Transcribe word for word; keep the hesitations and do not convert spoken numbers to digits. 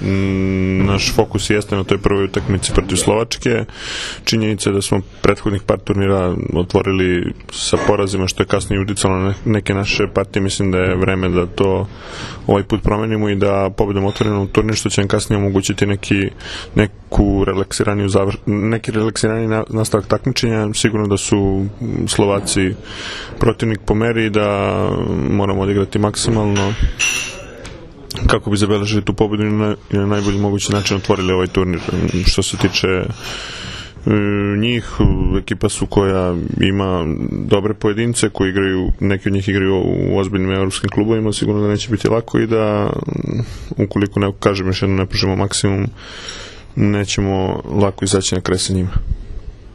m, naš fokus jeste na toj prvoj utakmici protiv Slovačke. Činjenica je da smo prethodnih par turnira otvorili sa porazima, što je kasnije uticalo na neke naše partije. Mislim da je vreme da to ovaj put promenimo i da pobedom otvorimo turnir, što će nam kasnije omogućiti neki, neku relaksiraniju zavr... neki relaksirani nastavak takmičenja. Sigurno da su Slovaci protivnik po meri i da moramo odigrati maksimalno kako bi zabeležili tu pobedu i na, i na najbolji mogući način otvorili ovaj turnir. Što se tiče e, njih, ekipa su koja ima dobre pojedince koji igraju, neki od njih igraju u ozbiljnim evropskim klubovima, sigurno da neće biti lako i da ukoliko ne kažem još jedno ne pružimo maksimum, nećemo lako izaći na kraj sa njima.